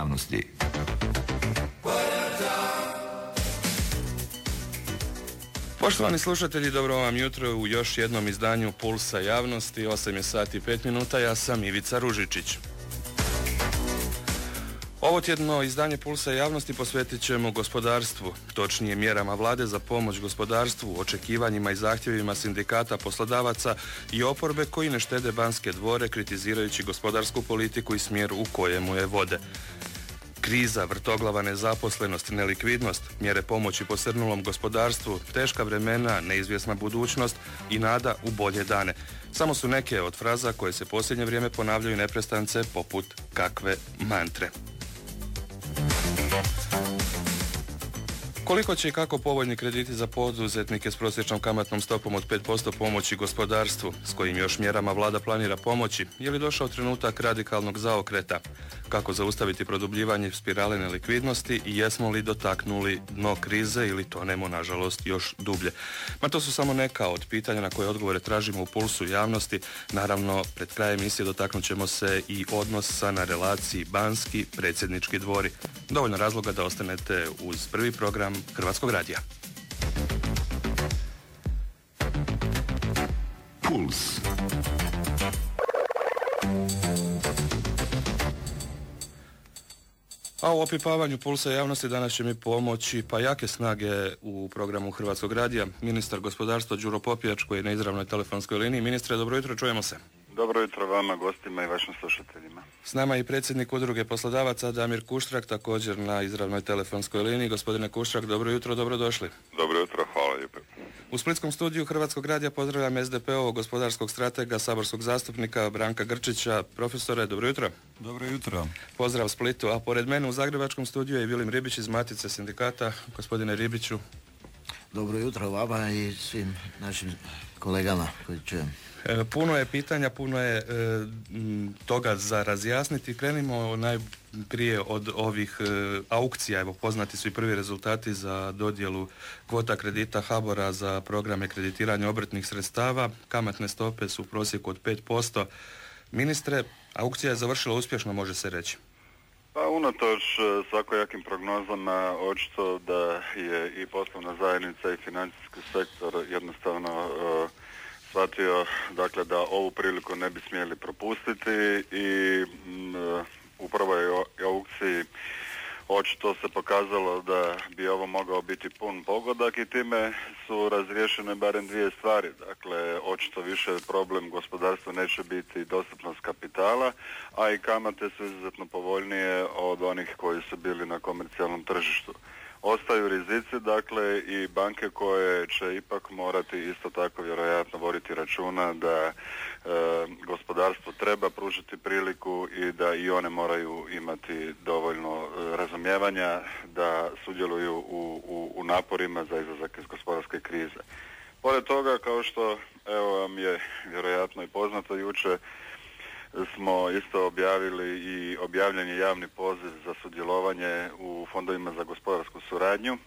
javnosti. Poštovani slušatelji, dobro vam jutro u još jednom izdanju Pulsa javnosti. 8 je sati i 5 minuta, ja sam Ivica Ružičić. Ovo tjedno izdanje Pulsa javnosti posvetit ćemo gospodarstvu, točnije mjerama vlade za pomoć gospodarstvu, očekivanjima i zahtjevima sindikata, poslodavaca i oporbe koji ne štede Banske dvore kritizirajući gospodarsku politiku i smjer u kojemu je vode. Kriza, vrtoglava nezaposlenost, nelikvidnost, mjere pomoći posrnulom gospodarstvu, teška vremena, neizvjesna budućnost i nada u bolje dane. Samo su neke od fraza koje se posljednje vrijeme ponavljaju neprestance poput kakve mantre. Koliko će i kako povoljni krediti za poduzetnike s prosječnom kamatnom stopom od 5% pomoći gospodarstvu, s kojim još mjerama vlada planira pomoći, je li došao trenutak radikalnog zaokreta? Kako zaustaviti produbljivanje spirale nelikvidnosti i jesmo li dotaknuli dno krize ili tonemo, nažalost, još dublje? Ma to su samo neka od pitanja na koje odgovore tražimo u Pulsu javnosti. Naravno, pred krajem emisije dotaknut ćemo se i odnosa na relaciji Banski predsjednički dvori. Dovoljno razloga da ostanete uz prvi program Hrvatskog radija. Puls. A u opipavanju Pulsa javnosti danas će mi pomoći pa jake snage u programu Hrvatskog radija. Ministar gospodarstva Đuro Popijač koji je na izravnoj telefonskoj liniji. Ministre, dobro jutro, čujemo se. Dobro jutro vama, gostima i vašim slušateljima. S nama je i predsjednik Udruge poslodavaca Damir Kuštrak, također na izravnoj telefonskoj liniji. Gospodine Kuštrak, dobro jutro, dobrodošli. Dobro jutro, hvala lijepo. U splitskom studiju Hrvatskog radija pozdravljam SDP-ovog gospodarskog stratega, saborskog zastupnika Branka Grčića. Profesore, dobro jutro. Dobro jutro. Pozdrav Splitu, a pored mene u zagrebačkom studiju je Vilim Ribić iz Matice sindikata. Gospodine Ribiću. Dobro jutro vama i svim našim kolegama koji čujem. Puno je pitanja, puno je toga za razjasniti. Krenimo najprije od ovih aukcija. Evo, poznati su i prvi rezultati za dodjelu kvota kredita HBOR-a za programe kreditiranja obrtnih sredstava. Kamatne stope su u prosjeku od 5%. Ministre, aukcija je završila uspješno, može se reći. Pa unatoč svakojakim prognozama, očito da je i poslovna zajednica i financijski sektor jednostavno shvatio, dakle, da ovu priliku ne bi smjeli propustiti i u prvoj aukciji očito se pokazalo da bi ovo mogao biti pun pogodak i time su razriješene barem dvije stvari. Dakle, očito više problem gospodarstva neće biti dostupnost kapitala, a i kamate su izuzetno povoljnije od onih koji su bili na komercijalnom tržištu. Ostaju rizici, dakle, i banke koje će ipak morati isto tako vjerojatno voditi računa da gospodarstvo treba pružiti priliku i da i one moraju imati dovoljno razumijevanja da sudjeluju u naporima za izlazak iz gospodarske krize. Pored toga, kao što evo vam je vjerojatno i poznato, jučer smo isto objavili i objavljen je javni poziv za sudjelovanje u fondovima za gospodarsku suradnju.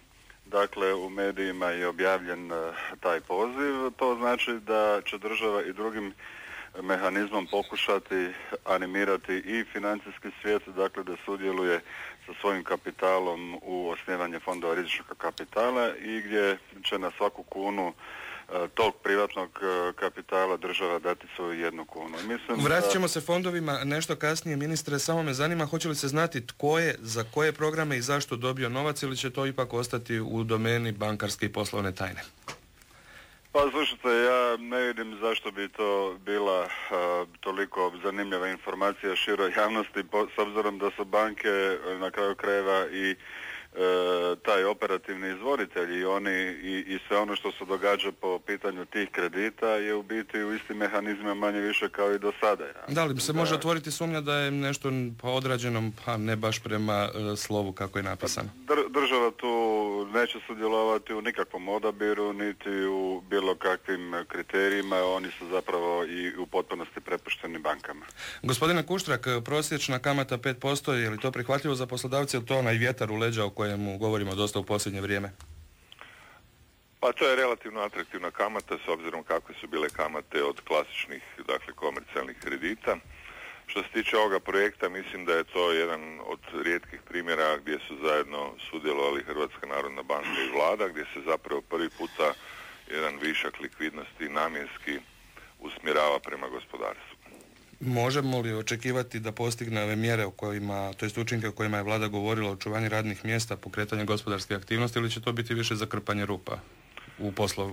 Dakle, u medijima je objavljen taj poziv. To znači da će država i drugim mehanizmom pokušati animirati i financijski svijet, dakle da sudjeluje sa svojim kapitalom u osnivanje fondova rizičnog kapitala i gdje će na svaku kunu tog privatnog kapitala država dati svoju 1 kunu. Vratit ćemo se fondovima nešto kasnije, ministre, samo me zanima hoće li se znati tko je, za koje programe i zašto dobio novac ili će to ipak ostati u domeni bankarske i poslovne tajne? Pa slušajte, ja ne vidim zašto bi to bila toliko zanimljiva informacija široj javnosti, s obzirom da su banke na kraju krajeva i taj operativni izvoritelji i oni i sve ono što se događa po pitanju tih kredita je u biti u istim mehanizmima manje više kao i do sada. Ja. Da li se može otvoriti sumnja da je nešto odrađeno, pa ne baš prema slovu kako je napisano? Država tu neće sudjelovati u nikakvom odabiru niti u bilo kakvim kriterijima, oni su zapravo i u potpunosti prepušteni bankama. Gospodine Kuštrak, prosječna kamata 5%, je li to prihvatljivo za poslodavce ili to onaj vjetar u leđa o kojemu govorimo dosta u posljednje vrijeme? Pa to je relativno atraktivna kamata s obzirom kakve su bile kamate od klasičnih, dakle, komercijalnih kredita. Što se tiče ovoga projekta, mislim da je to jedan od rijetkih primjera gdje su zajedno sudjelovali Hrvatska narodna banka i vlada, gdje se zapravo prvi puta jedan višak likvidnosti namjenski usmjerava prema gospodarstvu. Možemo li očekivati da postigne ove mjere o kojima, to jest učinke o kojima je vlada govorila, očuvanje radnih mjesta, pokretanje gospodarske aktivnosti, ili će to biti više zakrpanje rupa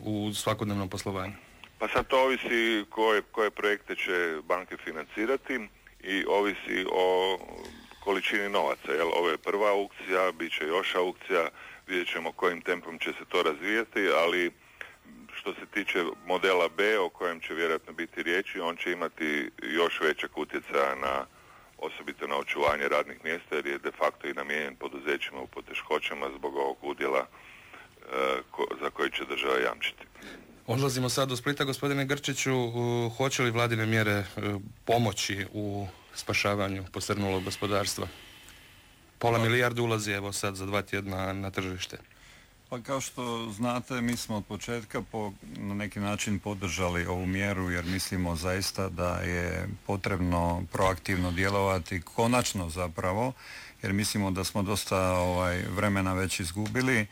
u svakodnevnom poslovanju? Pa sad to ovisi koje projekte će banke financirati i ovisi o količini novaca. Jel, ovo je prva aukcija, bit će još aukcija, vidjet ćemo kojim tempom će se to razvijati, ali što se tiče modela B, o kojem će vjerojatno biti riječi, on će imati još većeg utjecaja na, osobito na očuvanje radnih mjesta, jer je de facto i namijenjen poduzećima u poteškoćama zbog ovog udjela za koji će država jamčiti. Odlazimo sad do Splita. Gospodine Grčiću, hoće li vladine mjere pomoći u spašavanju posrnulog gospodarstva? Pola milijarde ulazi evo sad za 2 tjedna na tržište. Pa kao što znate, mi smo od početka na neki način podržali ovu mjeru jer mislimo zaista da je potrebno proaktivno djelovati, konačno zapravo, jer mislimo da smo dosta vremena već izgubili.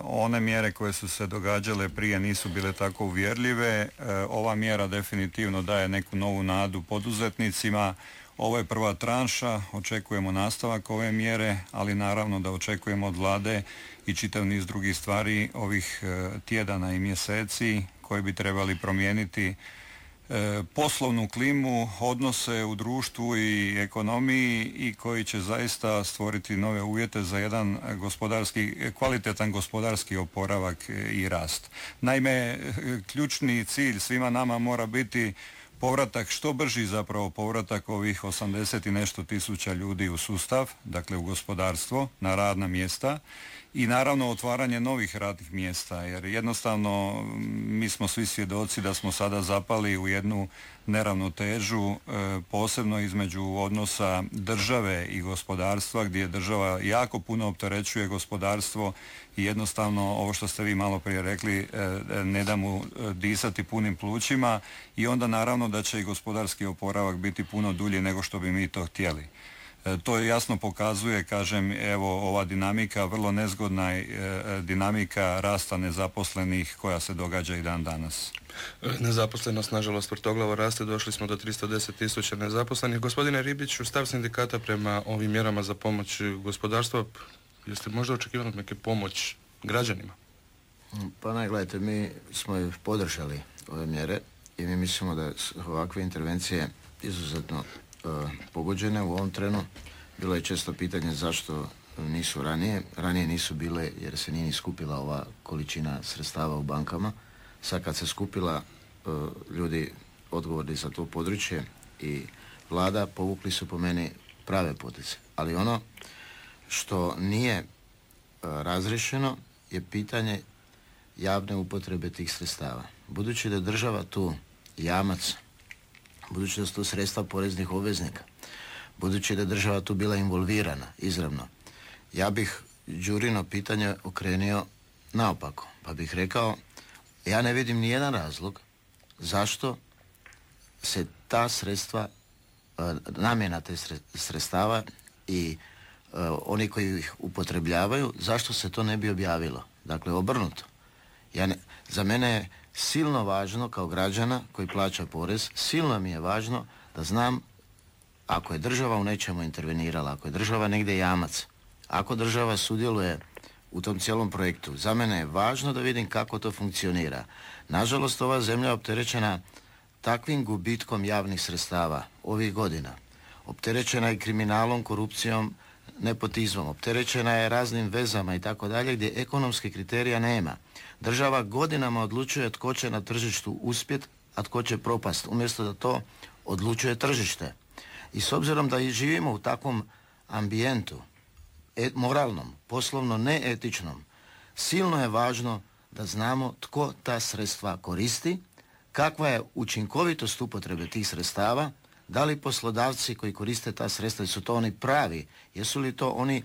One mjere koje su se događale prije nisu bile tako uvjerljive. Ova mjera definitivno daje neku novu nadu poduzetnicima. Ovo je prva tranša, očekujemo nastavak ove mjere, ali naravno da očekujemo od vlade i čitav niz drugih stvari ovih tjedana i mjeseci koji bi trebali promijeniti poslovnu klimu, odnose u društvu i ekonomiji i koji će zaista stvoriti nove uvjete za jedan kvalitetan gospodarski oporavak i rast. Naime, ključni cilj svima nama mora biti povratak, što brži zapravo povratak ovih 80 i nešto tisuća ljudi u sustav, dakle u gospodarstvo, na radna mjesta i naravno otvaranje novih radnih mjesta, jer jednostavno mi smo svi svjedoci da smo sada zapali u jednu neravnotežu, posebno između odnosa države i gospodarstva, gdje država jako puno opterećuje gospodarstvo i jednostavno ovo što ste vi malo prije rekli, ne da mu disati punim plućima i onda naravno da će i gospodarski oporavak biti puno dulji nego što bi mi to htjeli. To jasno pokazuje, kažem, evo ova dinamika, vrlo nezgodna dinamika rasta nezaposlenih koja se događa i dan danas. Nezaposlenost, nažalost, vrtoglavo raste, došli smo do 310.000 nezaposlenih. Gospodine Ribiću, stav sindikata prema ovim mjerama za pomoć gospodarstva, jeste možda očekivali neke pomoć građanima? Pa ne, gledajte, mi smo podržali ove mjere i mi mislimo da su ovakve intervencije izuzetno pogođene u ovom trenu. Bilo je često pitanje zašto nisu ranije. Ranije nisu bile jer se nije ni skupila ova količina sredstava u bankama. Sad kad se skupila, ljudi odgovorni za to područje i vlada povukli su po meni prave poteze. Ali ono što nije razriješeno je pitanje javne upotrebe tih sredstava. Budući da je država tu jamac, budući da su to sredstva poreznih obveznika, budući da je država tu bila involvirana izravno, ja bih Đurino pitanje okrenio naopako, pa bih rekao, ja ne vidim ni jedan razlog zašto se ta sredstva, namjena te sredstava i oni koji ih upotrebljavaju, zašto se to ne bi objavilo? Dakle, obrnuto. Za mene je silno važno kao građana koji plaća porez, silno mi je važno da znam ako je država u nečemu intervenirala, ako je država negdje jamac, ako država sudjeluje u tom cijelom projektu, za mene je važno da vidim kako to funkcionira. Nažalost, ova zemlja je opterećena takvim gubitkom javnih sredstava ovih godina. Opterećena je kriminalom, korupcijom, nepotizmom, opterećena je raznim vezama i tako dalje, gdje ekonomskih kriterija nema. Država godinama odlučuje tko će na tržištu uspjet, a tko će propast, umjesto da to odlučuje tržište. I s obzirom da i živimo u takvom ambijentu, moralnom, poslovno neetičnom, silno je važno da znamo tko ta sredstva koristi, kakva je učinkovitost upotrebe tih sredstava, da li poslodavci koji koriste ta sredstva, su to oni pravi, jesu li to oni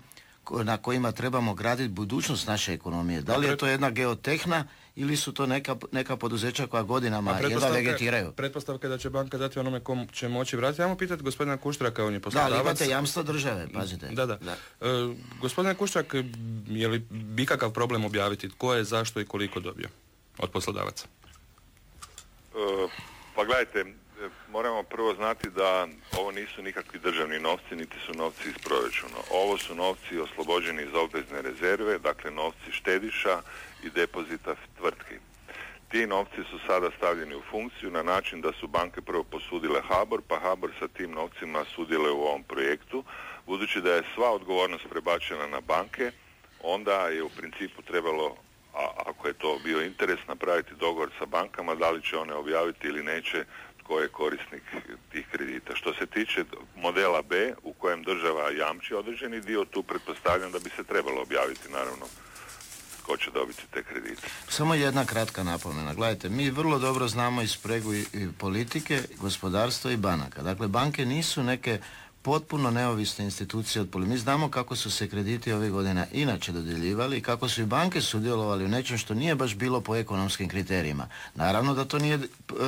na kojima trebamo graditi budućnost naše ekonomije, da li je to jedna geotehna ili su to neka poduzeća koja godinama jedva vegetiraju. Pretpostavka je da će banka dati onome kom će moći vratiti. Ajmo pitati gospodina Kuštraka, on je poslodavac. Da, ali imate jamstvo države, pazite. Da. Gospodine Kuštrak, je li bi kakav problem objaviti tko je, zašto i koliko dobio od poslodavaca? Pa gledajte, moramo prvo znati da ovo nisu nikakvi državni novci, niti su novci iz proračuna. Ovo su novci oslobođeni iz obvezne rezerve, dakle novci štediša i depozita tvrtki. Ti novci su sada stavljeni u funkciju na način da su banke prvo posudile HBOR, pa HBOR sa tim novcima sudjeluje u ovom projektu. Budući da je sva odgovornost prebačena na banke, onda je u principu trebalo, a ako je to bio interes, napraviti dogovor sa bankama da li će one objaviti ili neće tko je korisnik tih kredita. Što se tiče modela B u kojem država jamči određeni dio, tu pretpostavljam da bi se trebalo objaviti naravno tko će dobiti te kredite. Samo jedna kratka napomena. Gledajte, mi vrlo dobro znamo i spregu i politike, gospodarstva i banaka. Dakle, banke nisu neke potpuno neovisne institucije od politike. Mi znamo kako su se krediti ovih godina inače dodjeljivali i kako su i banke sudjelovali u nečem što nije baš bilo po ekonomskim kriterijima. Naravno da to nije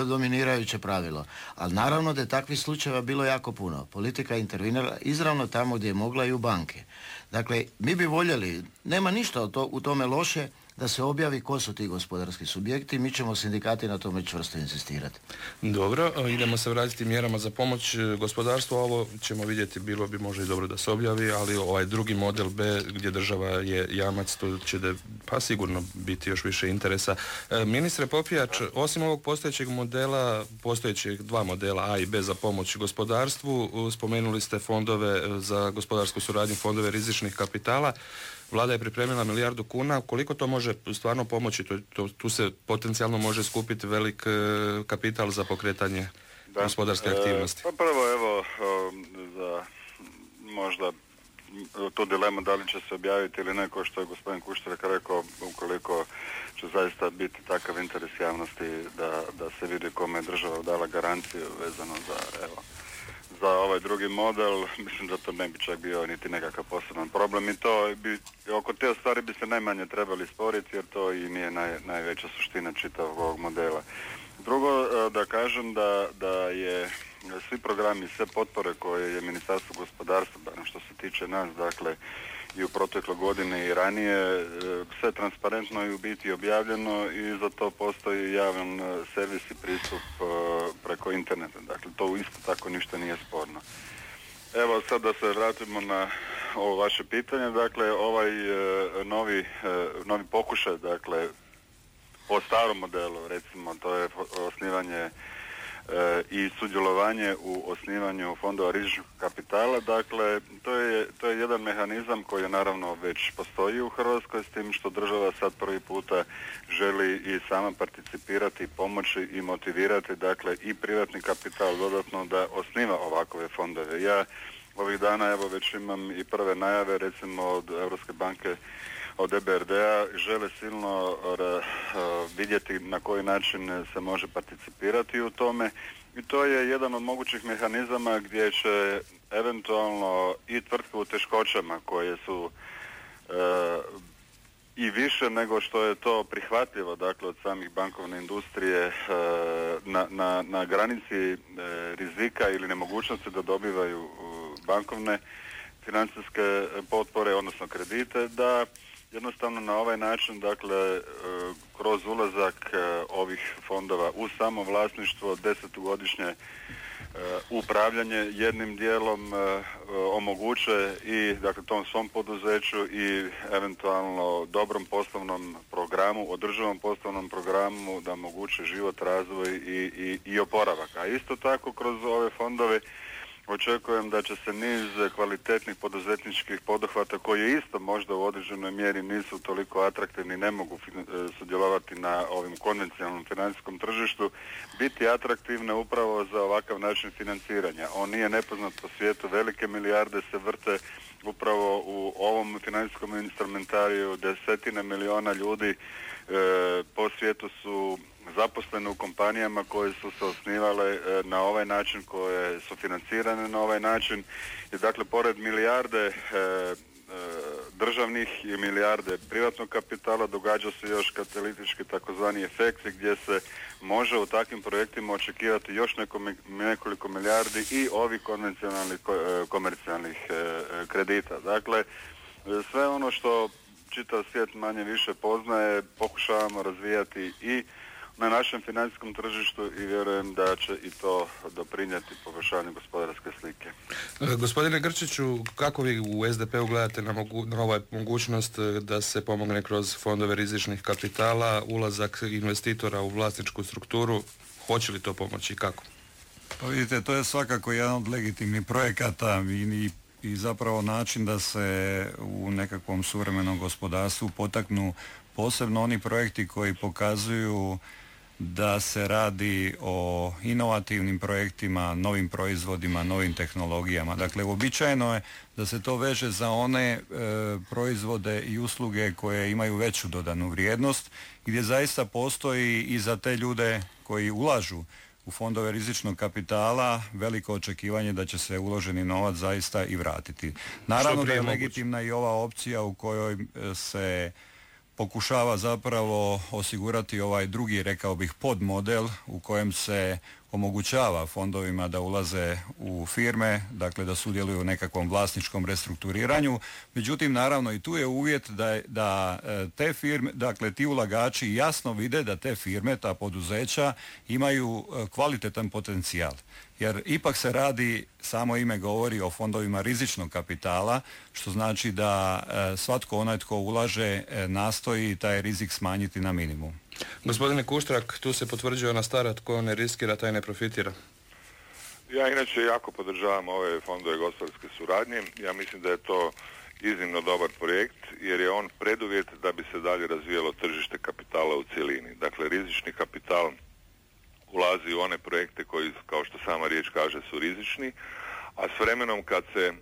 dominirajuće pravilo, ali naravno da je takvih slučajeva bilo jako puno. Politika je intervenirala izravno tamo gdje je mogla i u banke. Dakle, mi bi voljeli, nema ništa u tome loše da se objavi ko su ti gospodarski subjekti, mi ćemo sindikati na tome čvrsto insistirati. Dobro, idemo se vratiti mjerama za pomoć gospodarstvu, ovo ćemo vidjeti, bilo bi možda i dobro da se objavi, ali ovaj drugi model B gdje država je jamac, to će pa sigurno biti još više interesa. Ministre Popijač, osim ovog postojećeg modela, postojećeg dva modela A i B za pomoć gospodarstvu, spomenuli ste fondove za gospodarsku suradnju, fondove rizičnih kapitala. Vlada je pripremila 1 milijardu kuna. Koliko to može stvarno pomoći? Tu se potencijalno može skupiti velik kapital za pokretanje gospodarske aktivnosti. Pa prvo, evo, za možda tu dilemu da li će se objaviti ili ne, kao što je gospodin Kuštrak rekao, ukoliko će zaista biti takav interes javnosti da se vidi kome je država dala garanciju vezano za ovaj drugi model, mislim da to ne bi čak bio niti nekakav poseban problem i to bi, oko te stvari bi se najmanje trebali sporiti jer to i nije najveća suština čitavog ovog modela. Drugo, da kažem da je svi programi, sve potpore koje je Ministarstvo gospodarstva, barem što se tiče nas, dakle i u protekloj godini i ranije, sve transparentno i u biti objavljeno i za to postoji javan servis i pristup preko interneta. Dakle, to isto tako ništa nije sporno. Evo sad da se vratimo na ovo vaše pitanje. Dakle, ovaj novi pokušaj, dakle, po starom modelu, recimo, to je osnivanje i sudjelovanje u osnivanju fondova rizičnog kapitala. Dakle, to je jedan mehanizam koji naravno već postoji u Hrvatskoj, s tim što država sad prvi puta želi i sama participirati, pomoći i motivirati, dakle, i privatni kapital dodatno da osniva ovakove fondove. Ja ovih dana evo već imam i prve najave, recimo od Europske banke, od EBRD-a, žele silno vidjeti na koji način se može participirati u tome i to je jedan od mogućih mehanizama gdje će eventualno i tvrtke u teškoćama koje su i više nego što je to prihvatljivo, dakle, od samih bankovne industrije na granici rizika ili nemogućnosti da dobivaju bankovne financijske potpore, odnosno kredite, da jednostavno na ovaj način, dakle, kroz ulazak ovih fondova u samo vlasništvo, 10-godišnje upravljanje jednim dijelom omoguće i, dakle, tom svom poduzeću i eventualno dobrom poslovnom programu, održivom poslovnom programu da omoguće život, razvoj i oporavak. A isto tako kroz ove fondove očekujem da će se niz kvalitetnih poduzetničkih poduhvata koji isto možda u određenoj mjeri nisu toliko atraktivni, ne mogu sudjelovati na ovim konvencionalnom financijskom tržištu, biti atraktivne upravo za ovakav način financiranja. On nije nepoznat po svijetu, velike milijarde se vrte upravo u ovom financijskom instrumentariju, desetine miliona ljudi po svijetu su zaposlene u kompanijama koje su se osnivale na ovaj način, koje su financirane na ovaj način i dakle pored milijarde državnih i milijarde privatnog kapitala, događa se još katalitički takozvani efekti gdje se može u takvim projektima očekivati još nekoliko milijardi i ovih konvencionalnih komercijalnih kredita. Dakle, sve ono što čitav svijet manje više poznaje pokušavamo razvijati i na našem financijskom tržištu i vjerujem da će i to doprinijeti poboljšanju gospodarske slike. Gospodine Grčiću, kako vi u SDP-u gledate na ovu mogućnost da se pomogne kroz fondove rizičnih kapitala, ulazak investitora u vlasničku strukturu, hoće li to pomoći i kako? Pa vidite, to je svakako jedan od legitimnih projekata i zapravo način da se u nekakvom suvremenom gospodarstvu potaknu posebno oni projekti koji pokazuju da se radi o inovativnim projektima, novim proizvodima, novim tehnologijama. Dakle, uobičajeno je da se to veže za one proizvode i usluge koje imaju veću dodanu vrijednost, gdje zaista postoji i za te ljude koji ulažu u fondove rizičnog kapitala veliko očekivanje da će se uloženi novac zaista i vratiti. Naravno da je legitimna i ova opcija u kojoj se pokušava zapravo osigurati ovaj drugi, rekao bih, podmodel u kojem se omogućava fondovima da ulaze u firme, dakle da sudjeluju u nekakvom vlasničkom restrukturiranju. Međutim, naravno i tu je uvjet da te firme, dakle ti ulagači jasno vide da te firme, ta poduzeća imaju kvalitetan potencijal. Jer ipak se radi, samo ime govori, o fondovima rizičnog kapitala, što znači da svatko onaj tko ulaže nastoji taj rizik smanjiti na minimum. Gospodine Kuštrak, tu se potvrđuje ona stara, tko ne riskira, taj ne profitira. Ja inače jako podržavam ove fondove gospodarske suradnje. Ja mislim da je to iznimno dobar projekt jer je on preduvjet da bi se dalje razvijalo tržište kapitala u cjelini. Dakle, rizični kapital ulazi u one projekte koji, kao što sama riječ kaže, su rizični, a s vremenom kad se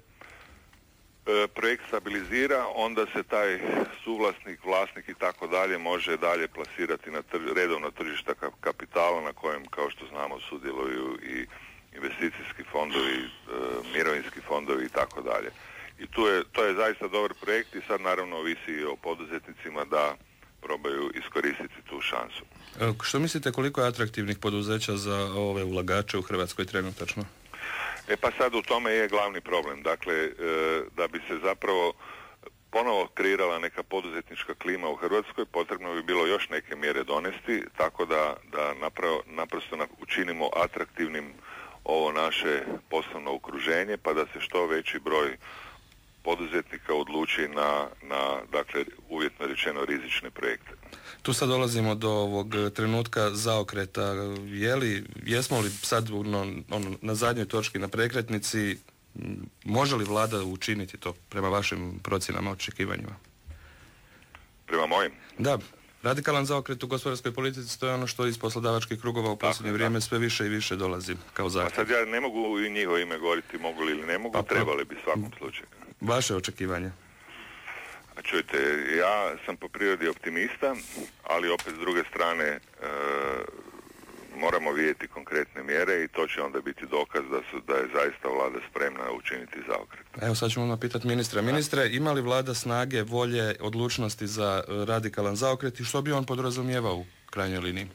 projekt stabilizira, onda se taj suvlasnik, vlasnik i tako dalje može dalje plasirati na redovno tržišta kapitala na kojem, kao što znamo, sudjeluju i investicijski fondovi, mirovinski fondovi i tako dalje. I to je zaista dobar projekt i sad naravno ovisi o poduzetnicima da probaju iskoristiti tu šansu. Što mislite, koliko je atraktivnih poduzeća za ove ulagače u Hrvatskoj trenutačno? Pa sad u tome je glavni problem. Dakle, da bi se zapravo ponovo kreirala neka poduzetnička klima u Hrvatskoj, potrebno bi bilo još neke mjere donesti, tako da naprosto učinimo atraktivnim ovo naše poslovno okruženje, pa da se što veći broj poduzetnika odluči na dakle, uvjetno rečeno rizične projekte. Tu sad dolazimo do ovog trenutka zaokreta. Jesmo li sad na zadnjoj točki na prekretnici, može li vlada učiniti to prema vašim procjenama, očekivanjima? Prema mojim? Da. Radikalan zaokret u gospodarskoj politici, to je ono što iz poslodavačkih krugova u posljednje vrijeme sve više i više dolazi kao zahtjev. A sad ja ne mogu i njihovo ime govoriti, mogu li ili ne mogu, trebali bi svakom slučaju. Vaše očekivanje? A čujte, ja sam po prirodi optimista, ali opet s druge strane moramo vidjeti konkretne mjere i to će onda biti dokaz da je zaista vlada spremna učiniti zaokret. Evo sad ćemo pitati ministra. Ministre, ima li vlada snage, volje, odlučnosti za radikalan zaokret i što bi on podrazumijevao u krajnjoj liniji?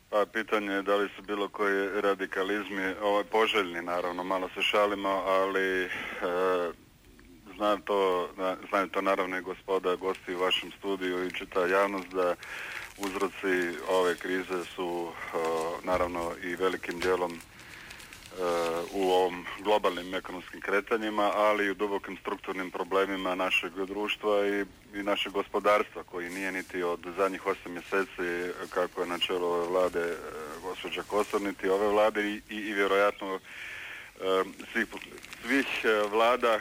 Pa pitanje je da li su bilo koji radikalizmi poželjni, naravno, malo se šalimo, ali znaju to naravno i gospoda gosti u vašem studiju i čita javnost da uzroci ove krize su naravno i velikim dijelom u ovom globalnim ekonomskim kretanjima, ali i u dubokim strukturnim problemima našeg društva i našeg gospodarstva koji nije niti od zadnjih 8 mjeseci kako je na čelu ove vlade gospođa Kosor, niti ove vlade i vjerojatno svih vlada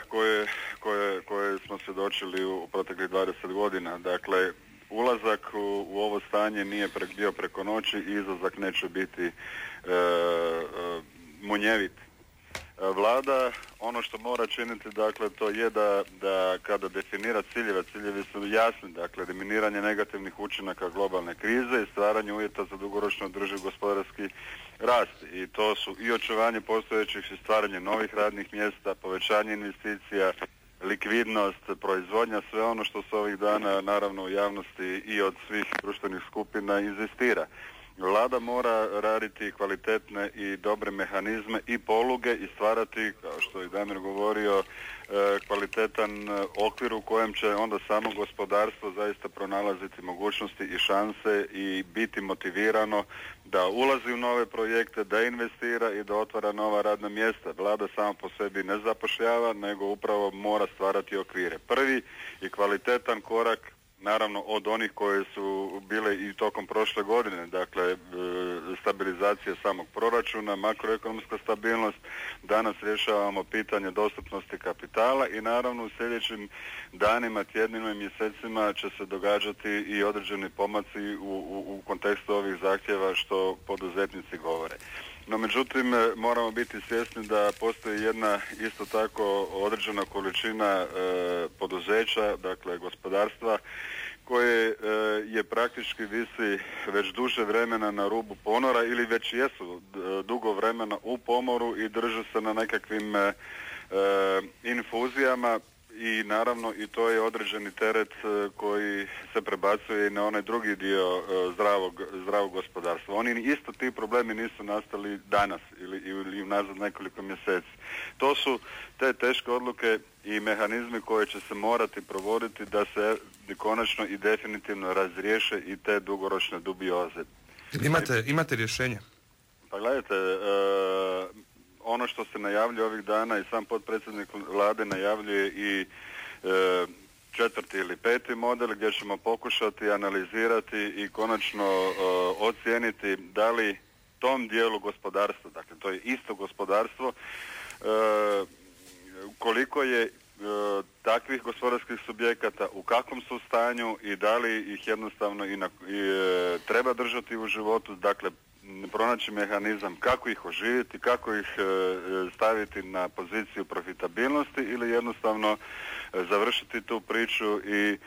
koje smo svjedočili u proteklih 20 godina. Dakle, ulazak u ovo stanje nije bio preko noći i izlazak neće biti munjevit. Vlada ono što mora činiti, dakle, to je da kada definira ciljeve, ciljevi su jasni, dakle, eliminiranje negativnih učinaka globalne krize i stvaranje uvjeta za dugoročno održiv gospodarski rast. I to su i očuvanje postojećih i stvaranje novih radnih mjesta, povećanje investicija, likvidnost, proizvodnja, sve ono što se ovih dana naravno u javnosti i od svih društvenih skupina inzistira. Vlada mora raditi kvalitetne i dobre mehanizme i poluge i stvarati, kao što je Damir govorio, kvalitetan okvir u kojem će onda samo gospodarstvo zaista pronalaziti mogućnosti i šanse i biti motivirano da ulazi u nove projekte, da investira i da otvara nova radna mjesta. Vlada sama po sebi ne zapošljava, nego upravo mora stvarati okvire. Prvi i kvalitetan korak, naravno od onih koje su bile i tokom prošle godine, dakle stabilizacija samog proračuna, makroekonomska stabilnost, danas rješavamo pitanje dostupnosti kapitala i naravno u sljedećim danima, tjednima i mjesecima će se događati i određeni pomaci u kontekstu ovih zahtjeva što poduzetnici govore. No međutim, moramo biti svjesni da postoji jedna isto tako određena količina poduzeća, dakle gospodarstva, koje je praktički visi već duže vremena na rubu ponora ili već jesu dugo vremena u pomoru i drže se na nekakvim infuzijama i naravno i to je određeni teret koji se prebacuje i na onaj drugi dio zdravog gospodarstva. Oni isto ti problemi nisu nastali danas ili nazad nekoliko mjeseci. To su te teške odluke i mehanizmi koje će se morati provoditi da se konačno i definitivno razriješe i te dugoročne dubioze. Imate rješenje? Pa gledajte, ono što se najavljuje ovih dana i sam potpredsjednik vlade najavljuje i 4. ili 5. model gdje ćemo pokušati analizirati i konačno ocijeniti da li tom dijelu gospodarstva, dakle to je isto gospodarstvo, koliko je takvih gospodarskih subjekata, u kakvom su stanju i da li ih jednostavno treba držati u životu, dakle pronaći mehanizam kako ih oživjeti, kako ih staviti na poziciju profitabilnosti ili jednostavno završiti tu priču i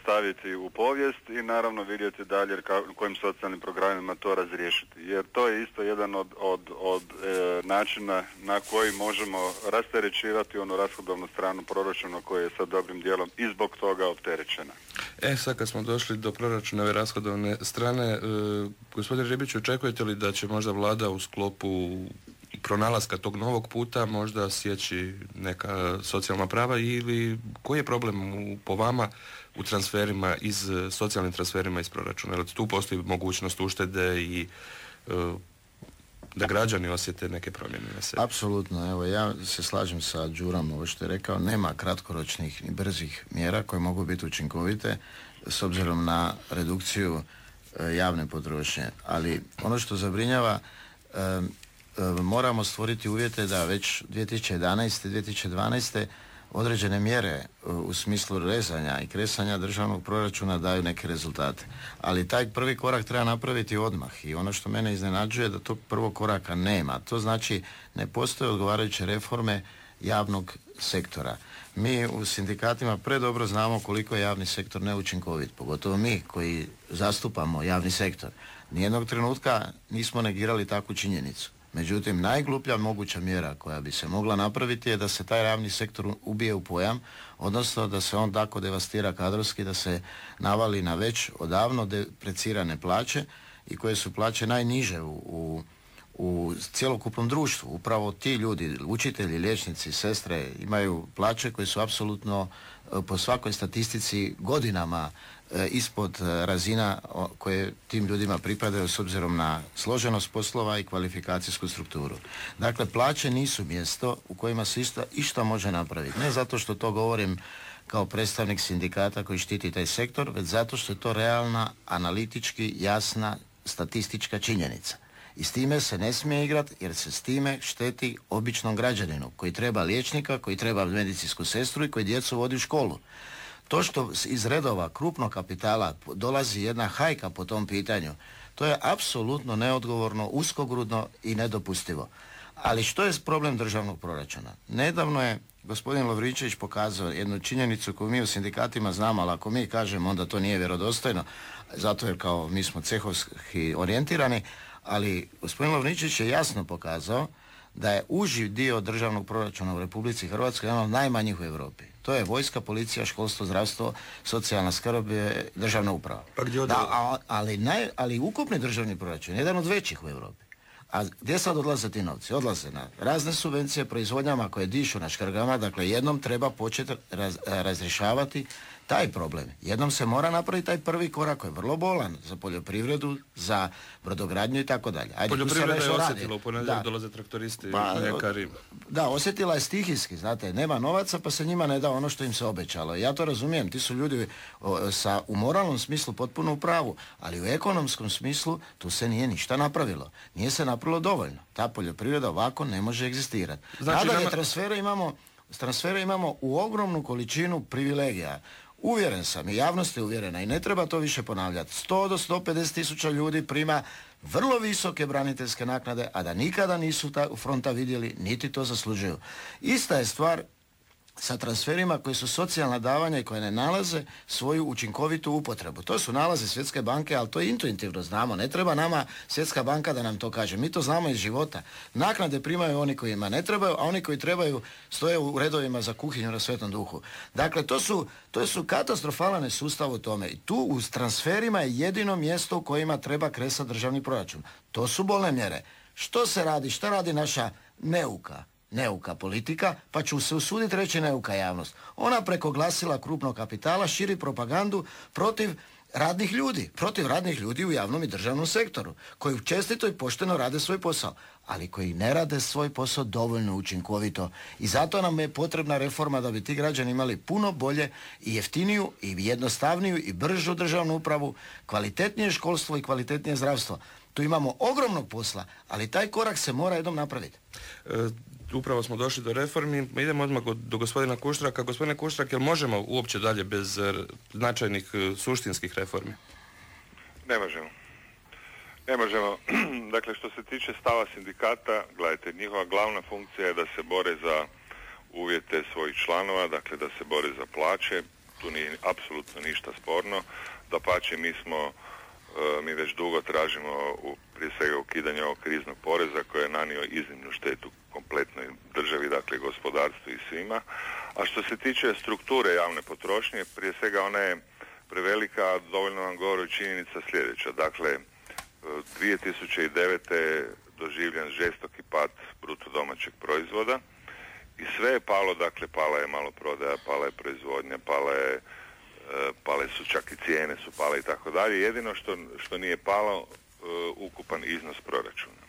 staviti u povijest i naravno vidjeti dalje kojim socijalnim programima to razriješiti. Jer to je isto jedan od načina na koji možemo rasterećivati onu rashodovnu stranu proračuna koja je sa dobrim dijelom i zbog toga opterećena. Sad kad smo došli do proračunove rashodovne strane, gospodine Ribiću, očekujete li da će možda vlada u sklopu pronalaska tog novog puta možda sjeći neka socijalna prava ili koji je problem po vama u transferima socijalnim transferima iz proračuna? Jer tu postoji mogućnost uštede i da građani osjete neke promjene na sebi. Apsolutno, evo ja se slažem sa Đurom, ovo što je rekao, nema kratkoročnih ni brzih mjera koje mogu biti učinkovite s obzirom na redukciju javne potrošnje. Ali ono što zabrinjava, moramo stvoriti uvjete da već 2011. 2012. određene mjere u smislu rezanja i kresanja državnog proračuna daju neke rezultate. Ali taj prvi korak treba napraviti odmah i ono što mene iznenađuje da tog prvog koraka nema. To znači ne postoje odgovarajuće reforme javnog sektora. Mi u sindikatima predobro znamo koliko je javni sektor neučinkovit, pogotovo mi koji zastupamo javni sektor. Nijednog trenutka nismo negirali takvu činjenicu. Međutim, najgluplja moguća mjera koja bi se mogla napraviti je da se taj javni sektor ubije u pojam, odnosno da se on tako devastira kadrovski, da se navali na već odavno deprecirane plaće i koje su plaće najniže u cjelokupnom društvu. Upravo ti ljudi, učitelji, liječnici, sestre imaju plaće koje su apsolutno po svakoj statistici godinama ispod razina koje tim ljudima pripadaju s obzirom na složenost poslova i kvalifikacijsku strukturu. Dakle, plaće nisu mjesto u kojima se išta može napraviti. Ne zato što to govorim kao predstavnik sindikata koji štiti taj sektor, već zato što je to realna, analitički jasna statistička činjenica. I s time se ne smije igrati jer se s time šteti običnom građaninu koji treba liječnika, koji treba medicinsku sestru i koji djecu vodi u školu. To što iz redova krupnog kapitala dolazi jedna hajka po tom pitanju, to je apsolutno neodgovorno, uskogrudno i nedopustivo. Ali što je problem državnog proračuna? Nedavno je gospodin Lovričević pokazao jednu činjenicu koju mi u sindikatima znamo, ali ako mi kažemo onda to nije vjerodostojno, zato jer kao mi smo cehovski orijentirani, ali gospodin Lovričević je jasno pokazao da je uži dio državnog proračuna u Republici Hrvatskoj jedan od najmanjih u Europi. To je vojska, policija, školstvo, zdravstvo, socijalna skrb, državna uprava. Pa gdje ali ukupni državni proračun je jedan od većih u Europi. A gdje sad odlaze ti novci? Odlaze na razne subvencije proizvodnjama koje dišu na škrgama, dakle jednom treba početi razrješavati taj problem. Jednom se mora napraviti taj prvi korak koji je vrlo bolan za poljoprivredu, za brodogradnju i tako dalje. Poljoprivreda je osjetila, u ponedjeljak dolaze traktoristi, mljekari. Da, osjetila je stihijski, znate, nema novaca pa se njima ne da ono što im se obećalo. Ja to razumijem, ti su ljudi u moralnom smislu potpuno u pravu, ali u ekonomskom smislu tu se nije ništa napravilo. Nije se napravilo dovoljno. Ta poljoprivreda ovako ne može egzistirati. Znači, nadalje, transfere imamo u ogromnu količinu privilegija. Uvjeren sam i javnost je uvjerena i ne treba to više ponavljati. 100 do 150 tisuća ljudi prima vrlo visoke braniteljske naknade, a da nikada nisu fronta vidjeli, niti to zaslužuju. Ista je stvar sa transferima koji su socijalna davanja i koje ne nalaze svoju učinkovitu upotrebu. To su nalazi Svjetske banke, ali to intuitivno znamo. Ne treba nama Svjetska banka da nam to kaže. Mi to znamo iz života. Naknade primaju oni kojima ne trebaju, a oni koji trebaju stoje u redovima za kuhinju na Svetom Duhu. Dakle, to su katastrofalan sustav u tome. I tu u transferima je jedino mjesto u kojima treba kresati državni proračun. To su bolne mjere. Što se radi? Šta radi naša neuka politika, pa ću se usuditi reći neuka javnost. Ona preko glasila krupnog kapitala širi propagandu protiv radnih ljudi u javnom i državnom sektoru, koji čestito i pošteno rade svoj posao, ali koji ne rade svoj posao dovoljno učinkovito. I zato nam je potrebna reforma da bi ti građani imali puno bolje i jeftiniju i jednostavniju i bržu državnu upravu, kvalitetnije školstvo i kvalitetnije zdravstvo. Tu imamo ogromnog posla, ali taj korak se mora jednom napraviti. Upravo smo došli do reformi. Idemo odmah do gospodina Kuštraka. Gospodine Kuštrak, jel možemo uopće dalje bez značajnih suštinskih reformi? Ne možemo. Dakle, što se tiče stava sindikata, gledajte, njihova glavna funkcija je da se bore za uvjete svojih članova, dakle da se bore za plaće. Tu nije apsolutno ništa sporno. Dapače, mi već dugo tražimo prije svega ukidanje ovog kriznog poreza koji je nanio iznimnu štetu kompletnoj državi, dakle gospodarstvu i svima. A što se tiče strukture javne potrošnje, prije svega ona je prevelika, a dovoljno vam govori činjenica sljedeća. Dakle, 2009. je doživljen žestoki pad bruto domaćeg proizvoda i sve je palo, dakle pala je maloprodaja, pala je proizvodnja, pale su čak i cijene su pale i tako dalje. Jedino što nije palo ukupan iznos proračuna.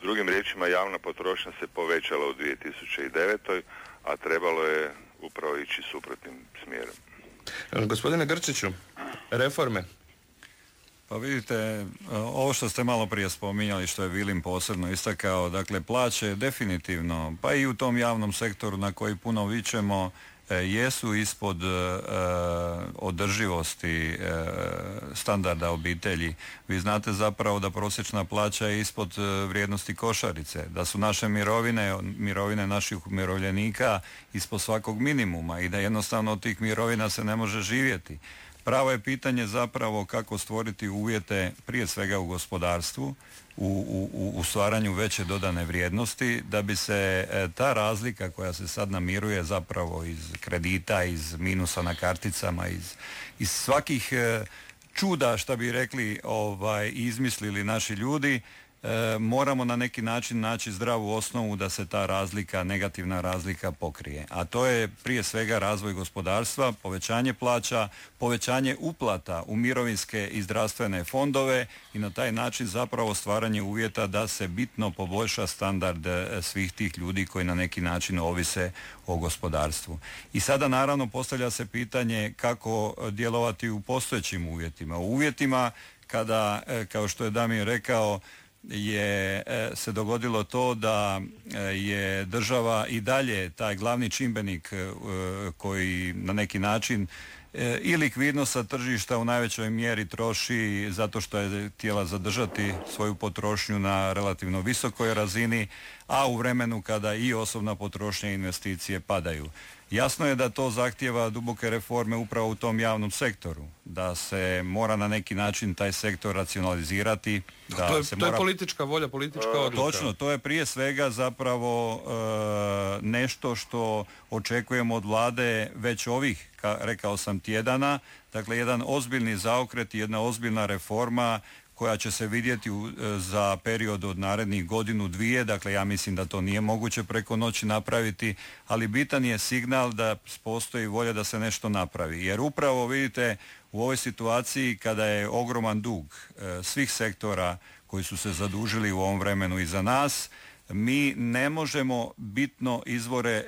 Drugim riječima, javna potrošnja se povećala u 2009. a trebalo je upravo ići suprotnim smjerom. Gospodine Grčiću, reforme? Pa vidite, ovo što ste malo prije spominjali, što je Vilim posebno istakao, dakle plaće definitivno, pa i u tom javnom sektoru na koji puno vičemo, jesu ispod održivosti standarda obitelji. Vi znate zapravo da prosječna plaća je ispod vrijednosti košarice, da su naše mirovine naših umirovljenika ispod svakog minimuma i da jednostavno od tih mirovina se ne može živjeti. Pravo je pitanje zapravo kako stvoriti uvjete prije svega u gospodarstvu, u stvaranju veće dodane vrijednosti, da bi se ta razlika koja se sad namiruje zapravo iz kredita, iz minusa na karticama, iz svakih čuda, šta bi rekli, izmislili naši ljudi, moramo na neki način naći zdravu osnovu da se ta razlika, negativna razlika pokrije. A to je prije svega razvoj gospodarstva, povećanje plaća, povećanje uplata u mirovinske i zdravstvene fondove i na taj način zapravo stvaranje uvjeta da se bitno poboljša standard svih tih ljudi koji na neki način ovise o gospodarstvu. I sada naravno postavlja se pitanje kako djelovati u postojećim uvjetima. U uvjetima kada, kao što je Damir rekao, se dogodilo to da je država i dalje taj glavni čimbenik koji na neki način i likvidnost sa tržišta u najvećoj mjeri troši zato što je htjela zadržati svoju potrošnju na relativno visokoj razini, a u vremenu kada i osobna potrošnja i investicije padaju. Jasno je da to zahtijeva duboke reforme upravo u tom javnom sektoru, da se mora na neki način taj sektor racionalizirati. Da to je politička volja, politička odluka. Točno, to je prije svega zapravo nešto što očekujemo od vlade već ovih, rekao sam, tjedana. Dakle, jedan ozbiljni zaokret i jedna ozbiljna reforma koja će se vidjeti za period od narednih godinu, dvije. Dakle, ja mislim da to nije moguće preko noći napraviti, ali bitan je signal da postoji volja da se nešto napravi. Jer upravo vidite u ovoj situaciji kada je ogroman dug svih sektora koji su se zadužili u ovom vremenu iza nas, mi ne možemo bitno izvore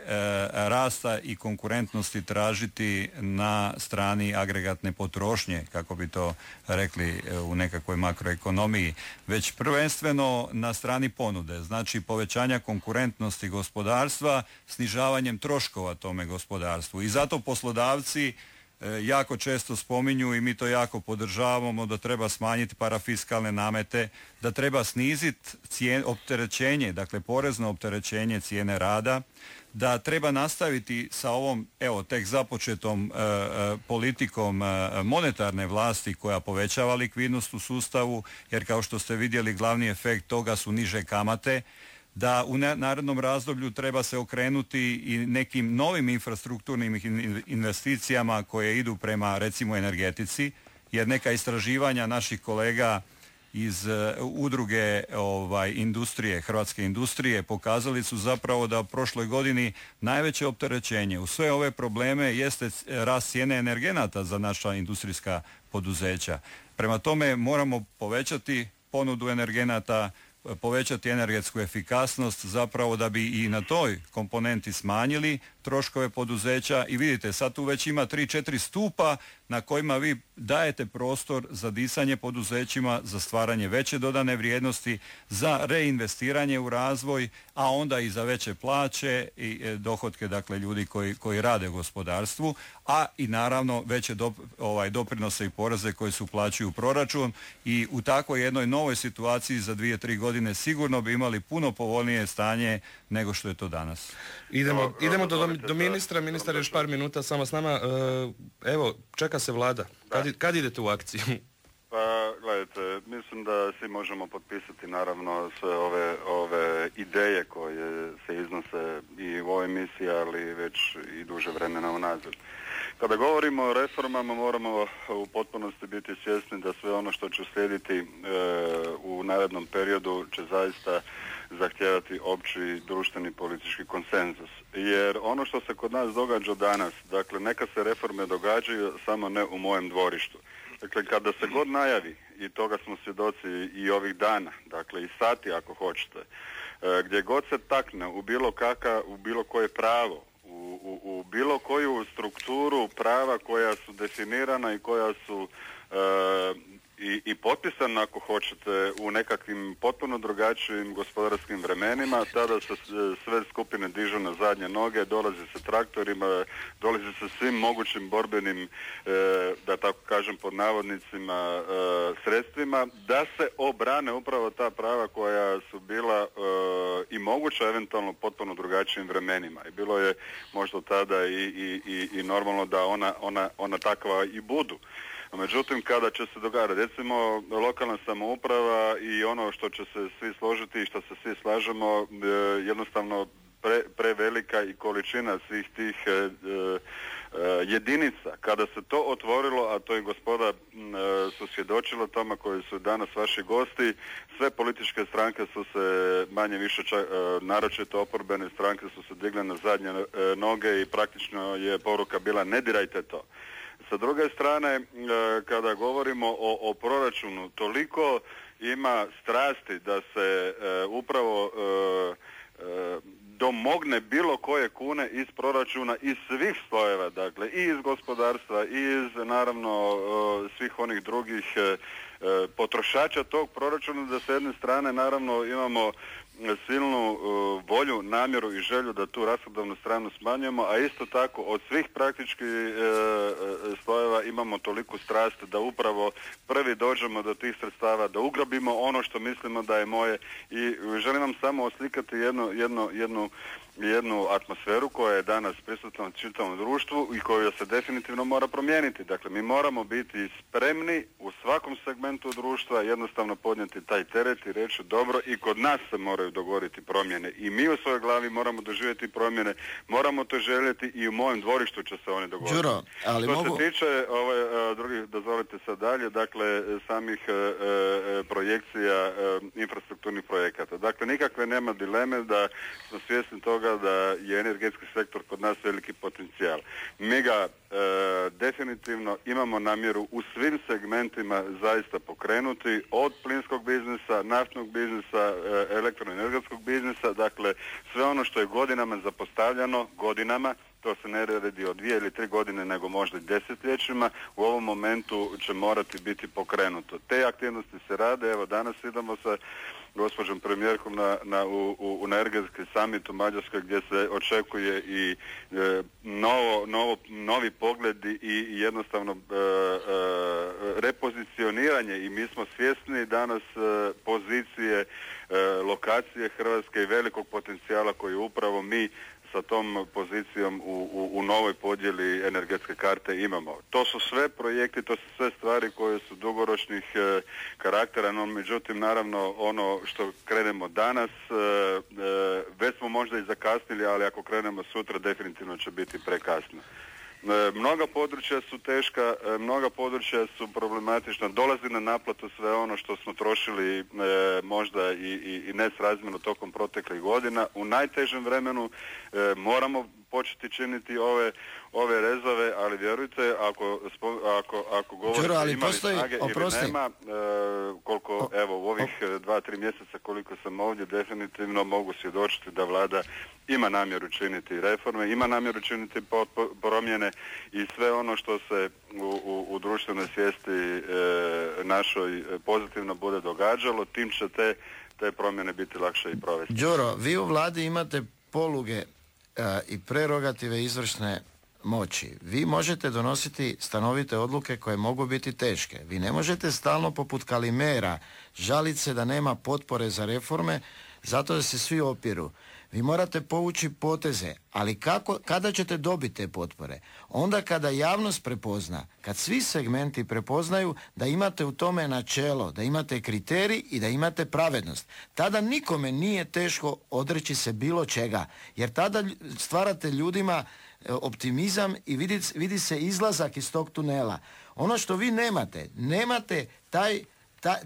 rasta i konkurentnosti tražiti na strani agregatne potrošnje, kako bi to rekli u nekakvoj makroekonomiji, već prvenstveno na strani ponude, znači povećanja konkurentnosti gospodarstva, snižavanjem troškova tome gospodarstvu. I zato poslodavci jako često spominju i mi to jako podržavamo da treba smanjiti parafiskalne namete, da treba sniziti opterećenje, dakle porezno opterećenje cijene rada, da treba nastaviti sa ovom tek započetom politikom monetarne vlasti koja povećava likvidnost u sustavu, jer kao što ste vidjeli glavni efekt toga su niže kamate, da u narednom razdoblju treba se okrenuti i nekim novim infrastrukturnim investicijama koje idu prema recimo energetici, jer neka istraživanja naših kolega iz udruge industrije, hrvatske industrije, pokazali su zapravo da u prošloj godini najveće opterećenje u sve ove probleme jeste rast cijene energenata za naša industrijska poduzeća. Prema tome moramo povećati ponudu energenata, povećati energetsku efikasnost zapravo da bi i na toj komponenti smanjili troškove poduzeća i vidite sad tu već ima 3-4 stupa na kojima vi dajete prostor za disanje poduzećima, za stvaranje veće dodane vrijednosti, za reinvestiranje u razvoj, a onda i za veće plaće i dohotke dakle ljudi koji rade u gospodarstvu, a i naravno veće doprinose i poreze koji se uplaćuju u proračun i u takvoj jednoj novoj situaciji za 2-3 godine sigurno bi imali puno povoljnije stanje nego što je to danas. Idemo do ministra. Ministar je još par minuta samo s nama. Evo, čeka se vlada. Kad idete u akciju? Pa, gledajte, mislim da svi možemo potpisati naravno sve ove ideje koje se iznose i u ovoj misiji, ali već i duže vremena unazad. Kada govorimo o reformama moramo u potpunosti biti svjesni da sve ono što će slijediti u narednom periodu će zaista zahtijevati opći društveni politički konsenzus. Jer ono što se kod nas događa danas, dakle neka se reforme događaju, samo ne u mojem dvorištu. Dakle, kada se god najavi, i toga smo svjedoci i ovih dana, dakle i sati ako hoćete, gdje god se takne u bilo koje pravo, u bilo koju strukturu prava koja su definirana i koja su i potpisana ako hoćete u nekakvim potpuno drugačijim gospodarskim vremenima, tada se sve skupine dižu na zadnje noge, dolazi se traktorima, dolazi se svim mogućim borbenim, da tako kažem pod navodnicima, sredstvima, da se obrane upravo ta prava koja su bila i moguća eventualno potpuno drugačijim vremenima. I bilo je možda tada i normalno da ona takva i budu. Međutim, kada će se događati, recimo lokalna samouprava i ono što će se svi složiti i što se svi slažemo, jednostavno prevelika i količina svih tih jedinica. Kada se to otvorilo, a to i gospoda su svjedočila tome koji su danas vaši gosti, sve političke stranke su se manje više, naročito oporbene stranke su se digle na zadnje noge i praktično je poruka bila ne dirajte to. Sa druge strane, kada govorimo o proračunu, toliko ima strasti da se upravo domogne bilo koje kune iz proračuna, iz svih slojeva, dakle i iz gospodarstva, i iz naravno svih onih drugih potrošača tog proračuna, da s jedne strane naravno imamo silnu volju, namjeru i želju da tu rashodovnu stranu smanjujemo, a isto tako od svih praktički slojeva sredstava, imamo toliku strast da upravo prvi dođemo do tih sredstava, da ugrabimo ono što mislimo da je moje i želim vam samo oslikati jednu atmosferu koja je danas prisutna u čitavom društvu i koju se definitivno mora promijeniti. Dakle, mi moramo biti spremni u svakom segmentu društva jednostavno podnijeti taj teret i reći dobro i kod nas se moraju dogoditi promjene i mi u svojoj glavi moramo doživjeti promjene, moramo to željeti i u mojem dvorištu će se one dogoditi. Đuro, ali što se tiče drugih, dozvolite sad dalje, dakle samih projekcija infrastrukturnih projekata. Dakle, nikakve nema dileme da smo svjesni toga da je energetski sektor kod nas veliki potencijal. Mi ga definitivno imamo namjeru u svim segmentima zaista pokrenuti, od plinskog biznisa, naftnog biznisa, elektroenergetskog biznisa, dakle sve ono što je godinama zapostavljano, to se ne radi od 2 ili 3 godine, nego možda i desetljećima, u ovom momentu će morati biti pokrenuto. Te aktivnosti se rade, evo danas idemo sa gospođom premijerkom u energetski summit u Mađarskoj gdje se očekuje i novi pogledi i jednostavno repozicioniranje i mi smo svjesni danas pozicije lokacije Hrvatske i velikog potencijala koji upravo mi sa tom pozicijom u novoj podjeli energetske karte imamo. To su sve projekti, to su sve stvari koje su dugoročnih karaktera, no međutim naravno ono što krenemo danas već smo možda i zakasnili, ali ako krenemo sutra definitivno će biti prekasno. Mnoga područja su teška, mnoga područja su problematična, dolazi na naplatu sve ono što smo trošili možda i nesrazmjerno tokom proteklih godina. U najtežem vremenu moramo početi činiti ove rezove, ali vjerujte, ako govorite ima li snage ili nema, koliko evo u ovih 2-3 mjeseca koliko sam ovdje, definitivno mogu svjedočiti da vlada ima namjeru činiti reforme, ima namjeru činiti promjene i sve ono što se u društvenoj svijesti našoj pozitivno bude događalo, tim će te promjene biti lakše i provesti. Đuro, vi u vladi imate poluge i prerogative izvršne moći. Vi možete donositi stanovite odluke koje mogu biti teške. Vi ne možete stalno poput Kalimera žaliti se da nema potpore za reforme zato da se svi opiru. Vi morate povući poteze, ali kada ćete dobiti te potpore? Onda kada javnost prepozna, kad svi segmenti prepoznaju da imate u tome načelo, da imate kriterij i da imate pravednost. Tada nikome nije teško odreći se bilo čega, jer tada stvarate ljudima optimizam i vidi se izlazak iz tog tunela. Ono što vi nemate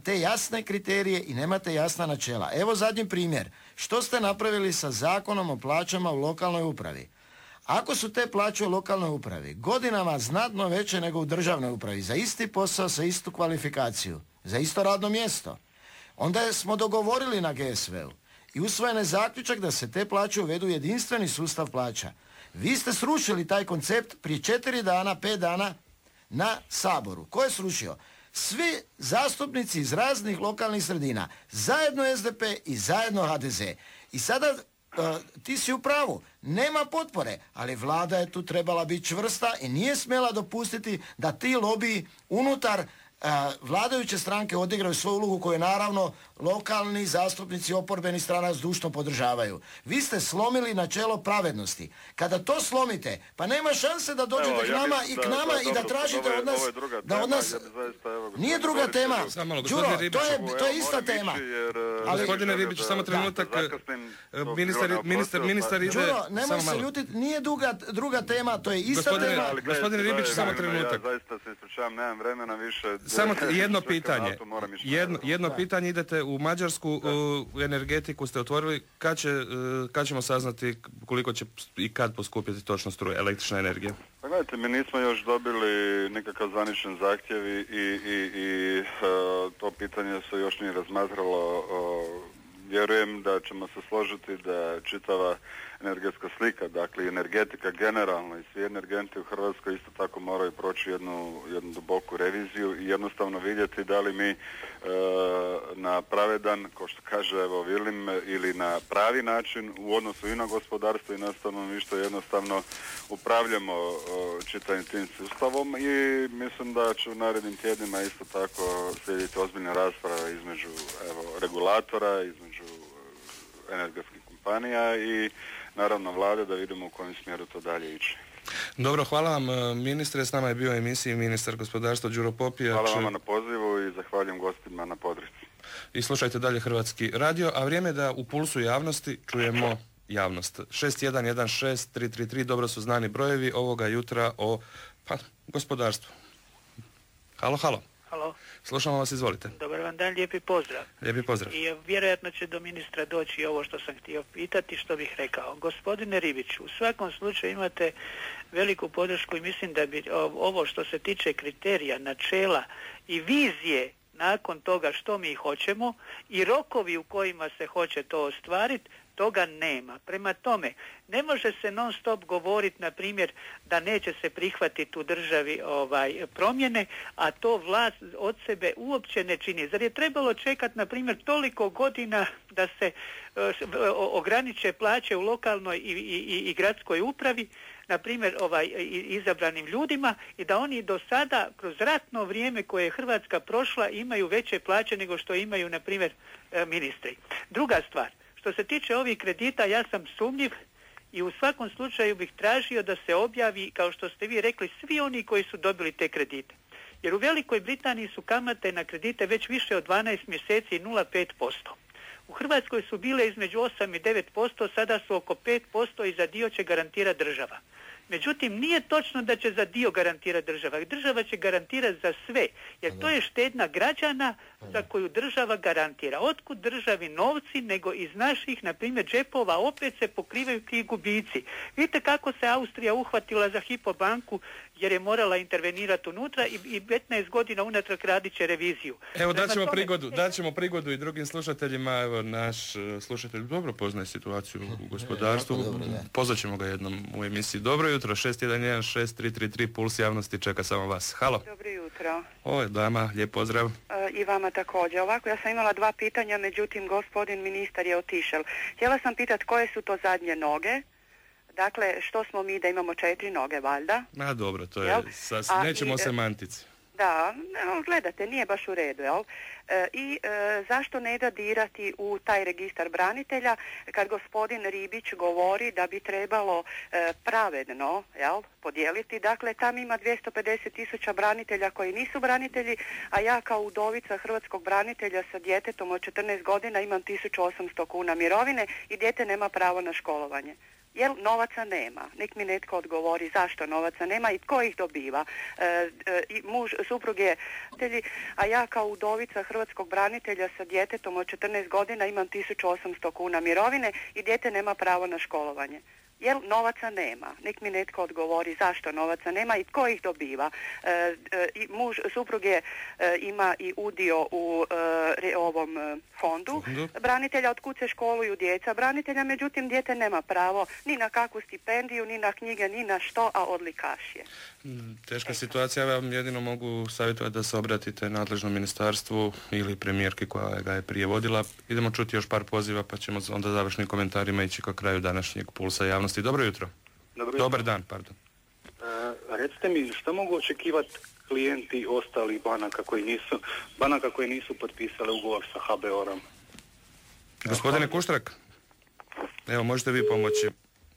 te jasne kriterije i nemate jasna načela. Evo zadnji primjer. Što ste napravili sa Zakonom o plaćama u lokalnoj upravi? Ako su te plaće u lokalnoj upravi godinama znatno veće nego u državnoj upravi, za isti posao, sa istu kvalifikaciju, za isto radno mjesto, onda smo dogovorili na GSV-u i usvojen je zaključak da se te plaće uvedu u jedinstveni sustav plaća. Vi ste srušili taj koncept prije 4 dana, 5 dana na Saboru. Ko je srušio? Svi zastupnici iz raznih lokalnih sredina, zajedno SDP i zajedno HDZ. I sada ti si u pravu, nema potpore, ali vlada je tu trebala biti čvrsta i nije smjela dopustiti da ti lobiji unutar vladajuće stranke odigraju svoju ulogu koju naravno lokalni zastupnici oporbenih strana zdušno podržavaju. Vi ste slomili načelo pravednosti. Kada to slomite, pa nema šanse da dođete k nama i da tražite od nas, nije druga tema. Đuro, to je ista tema. Gospodine Ribić, samo trenutak. Ministar ide. Đuro, nemoj se ljutiti, nije druga tema, to je ista tema. Gospodine Ribić, samo trenutak. Ja zaista se ispričavam, nemam vremena više. Samo jedno pitanje. Jedno pitanje, idete u Mađarsku, u energetiku ste otvorili, kad ćemo saznati koliko će i kad poskupiti točno struja, električna energija? Pa gledajte, mi nismo još dobili nikakav zvaničan zahtjev i to pitanje se još nije razmatralo. Vjerujem da ćemo se složiti da čitava energetska slika, dakle energetika generalno i svi energenti u Hrvatskoj isto tako moraju proći jednu duboku reviziju i jednostavno vidjeti da li mi na pravedan, kao što kaže evo Vilim, ili na pravi način u odnosu i na gospodarstvo i na stanovništvo jednostavno upravljamo čitavim tim sustavom i mislim da će u narednim tjednima isto tako slijediti ozbiljne rasprave između regulatora, između energetskih kompanija i naravno vlade da vidimo u kojem smjeru to dalje ići. Dobro, hvala vam ministre, s nama je bio u emisiji ministar gospodarstva Đuro Popijač. Hvala vama na pozivu i zahvaljujem gostima na podršci. I slušajte dalje Hrvatski radio, a vrijeme je da u pulsu javnosti čujemo javnost. 6116-333, dobro su znani brojevi ovoga jutra o gospodarstvu. Halo. Halo. Slušamo vas, izvolite. Dobar vam dan, lijepi pozdrav. Lijepi pozdrav. I vjerojatno će do ministra doći ovo što sam htio pitati, što bih rekao. Gospodine Ribiću, u svakom slučaju imate veliku podršku i mislim da bi ovo što se tiče kriterija, načela i vizije nakon toga što mi hoćemo i rokovi u kojima se hoće to ostvariti, toga nema. Prema tome, ne može se non stop govoriti, na primjer, da neće se prihvatiti u državi promjene, a to vlast od sebe uopće ne čini. Zar je trebalo čekati, na primjer, toliko godina da se ograniče plaće u lokalnoj i gradskoj upravi, na primjer izabranim ljudima, i da oni do sada kroz ratno vrijeme koje je Hrvatska prošla imaju veće plaće nego što imaju, na primjer, ministri. Druga stvar, što se tiče ovih kredita, ja sam sumnjiv i u svakom slučaju bih tražio da se objavi, kao što ste vi rekli, svi oni koji su dobili te kredite. Jer u Velikoj Britaniji su kamate na kredite već više od 12 mjeseci i 0,5%. U Hrvatskoj su bile između 8 i 9%, sada su oko 5% i za dio će garantirati država. Međutim, nije točno da će za dio garantirati država. Država će garantirati za sve, jer to je štednja građana za koju država garantira. Otkud državi novci nego iz naših, na primjer, džepova opet se pokrivaju ti gubici. Vidite kako se Austrija uhvatila za Hypo banku jer je morala intervenirati unutra i 15 godina unatrag radit će reviziju. Evo, daćemo prigodu i drugim slušateljima. Evo, naš slušatelj dobro poznaje situaciju u gospodarstvu. Pozvaćemo ga jednom u emisiji. Dobro jutro, 6116-333, puls javnosti čeka samo vas. Halo. Dobro jutro. Ovo je dama, lijep pozdrav. I vama također. Ovako, ja sam imala 2 pitanja, međutim, gospodin ministar je otišao. Htjela sam pitati koje su to zadnje noge. Dakle, što smo mi da imamo 4 noge, valjda? A dobro, to je, nećemo o semantici. Da, gledate, nije baš u redu, jel? Zašto ne da dirati u taj registar branitelja kad gospodin Ribić govori da bi trebalo pravedno, jel, podijeliti? Dakle, tam ima 250.000 branitelja koji nisu branitelji, a ja kao udovica hrvatskog branitelja sa djetetom od 14 godina imam 1.800 kuna mirovine i dijete nema pravo na školovanje. Jer novaca nema. Nek mi netko odgovori zašto novaca nema i tko ih dobiva. Suprug je branitelj, a ja kao udovica hrvatskog branitelja sa djetetom od 14 godina imam 1.800 kuna mirovine i dijete nema pravo na školovanje. Jer novaca nema. Nek mi netko odgovori zašto novaca nema i tko ih dobiva. Suprug je ima i udio u ovom fondu branitelja, od kud se školuju djeca branitelja, međutim dijete nema pravo ni na kakvu stipendiju, ni na knjige, ni na što, a odlikaš je. Teška situacija, ja vam jedino mogu savjetovati da se obratite nadležnom ministarstvu ili premijerki koja ga je prije vodila. Idemo čuti još par poziva pa ćemo onda završnim komentarima ići ka kraju današnjeg pulsa javnosti. Dobro jutro. Dobar dan, pardon. Recite mi, što mogu očekivati klijenti ostalih banaka koji nisu potpisali ugovor sa HBOR-om? Gospodine Kuštrak, evo možete vi pomoći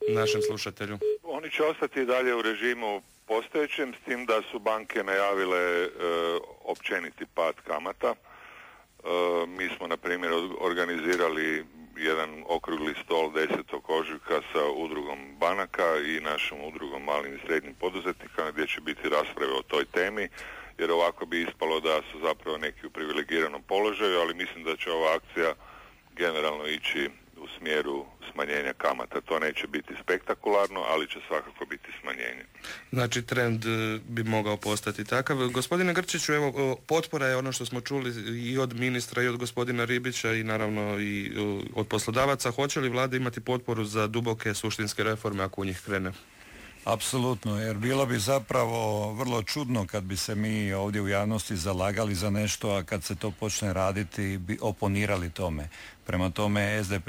našem slušatelju. Oni će ostati i dalje u režimu postojećem, s tim da su banke najavile općeniti pad kamata. Mi smo, na primjer, organizirali jedan okrugli stol 10. ožujka sa udrugom banaka i našom udrugom malim i srednjim poduzetnika gdje će biti rasprave o toj temi, jer ovako bi ispalo da su zapravo neki u privilegiranom položaju, ali mislim da će ova akcija generalno ići u smjeru smanjenja kamata. To neće biti spektakularno, ali će svakako biti smanjenje. Znači trend bi mogao postati takav. Gospodine Grčiću, evo potpora je ono što smo čuli i od ministra i od gospodina Ribića i naravno i od poslodavaca. Hoće li vlada imati potporu za duboke suštinske reforme ako u njih krene? Apsolutno, jer bilo bi zapravo vrlo čudno kad bi se mi ovdje u javnosti zalagali za nešto, a kad se to počne raditi bi oponirali tome. Prema tome SDP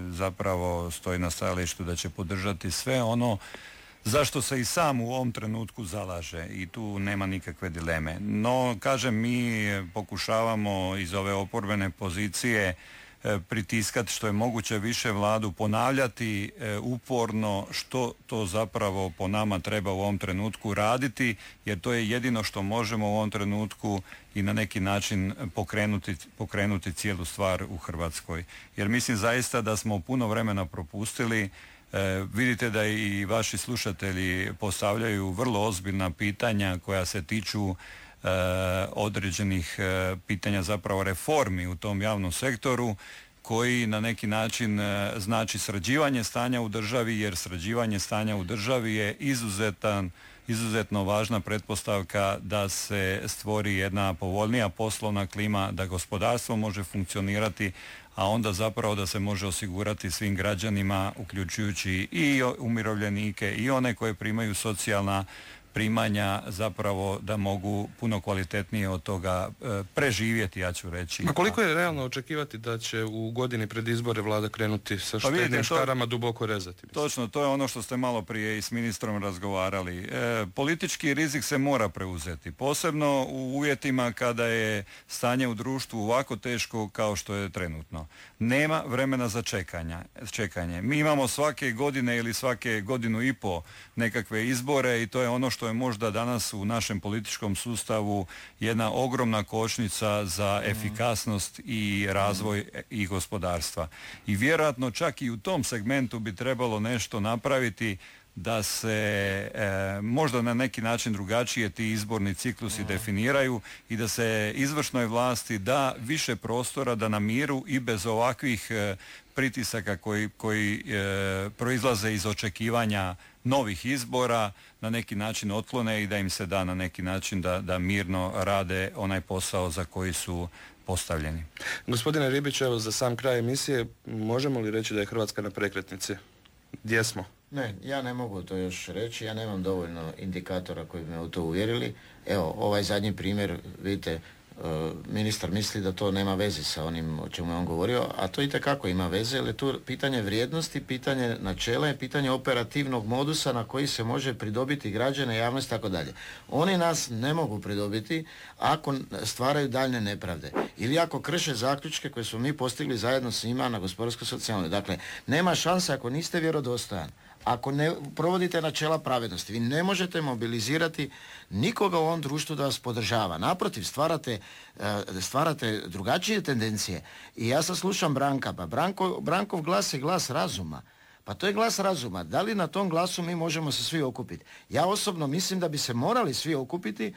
zapravo stoji na stajalištu da će podržati sve ono zašto se i sam u ovom trenutku zalaže i tu nema nikakve dileme. No, kažem, mi pokušavamo iz ove oporbene pozicije pritiskati što je moguće više vladu, ponavljati uporno što to zapravo po nama treba u ovom trenutku raditi, jer to je jedino što možemo u ovom trenutku i na neki način pokrenuti cijelu stvar u Hrvatskoj. Jer mislim zaista da smo puno vremena propustili. Vidite da i vaši slušatelji postavljaju vrlo ozbiljna pitanja koja se tiču određenih pitanja, zapravo reformi u tom javnom sektoru, koji na neki način znači sređivanje stanja u državi, jer sređivanje stanja u državi je izuzetno važna pretpostavka da se stvori jedna povoljnija poslovna klima, da gospodarstvo može funkcionirati, a onda zapravo da se može osigurati svim građanima, uključujući i umirovljenike i one koje primaju socijalna primanja, zapravo da mogu puno kvalitetnije od toga preživjeti, ja ću reći. A koliko je realno očekivati da će u godini pred izbore vlada krenuti sa štednim škarama duboko rezati? Mislim. Točno, to je ono što ste malo prije i s ministrom razgovarali. Politički rizik se mora preuzeti, posebno u uvjetima kada je stanje u društvu ovako teško kao što je trenutno. Nema vremena za čekanje. Mi imamo svake godine ili svake godinu i po nekakve izbore i to je ono što je možda danas u našem političkom sustavu jedna ogromna kočnica za efikasnost i razvoj i gospodarstva. I vjerojatno čak i u tom segmentu bi trebalo nešto napraviti da se možda na neki način drugačije ti izborni ciklusi definiraju i da se izvršnoj vlasti da više prostora da na miru i bez ovakvih pritisaka koji proizlaze iz očekivanja novih izbora na neki način otklone i da im se da na neki način da mirno rade onaj posao za koji su postavljeni. Gospodine Ribić, evo za sam kraj emisije, možemo li reći da je Hrvatska na prekretnici? Gdje smo? Ne, ja ne mogu to još reći, ja nemam dovoljno indikatora koji bi me u to uvjerili. Evo, ovaj zadnji primjer, vidite, ministar misli da to nema veze sa onim o čemu je on govorio, a to itekako ima veze, jer je tu pitanje vrijednosti, pitanje načela i pitanje operativnog modusa na koji se može pridobiti građane, javnost i tako dalje. Oni nas ne mogu pridobiti ako stvaraju daljne nepravde ili ako krše zaključke koje smo mi postigli zajedno s njima na gospodarsko-socijalnoj. Dakle, nema šanse ako niste vjerodostojan. Ako ne provodite načela pravednosti, vi ne možete mobilizirati nikoga u ovom društvu da vas podržava. Naprotiv, stvarate drugačije tendencije. I ja sad slušam Branka, pa Brankov glas je glas razuma. Pa to je glas razuma. Da li na tom glasu mi možemo se svi okupiti? Ja osobno mislim da bi se morali svi okupiti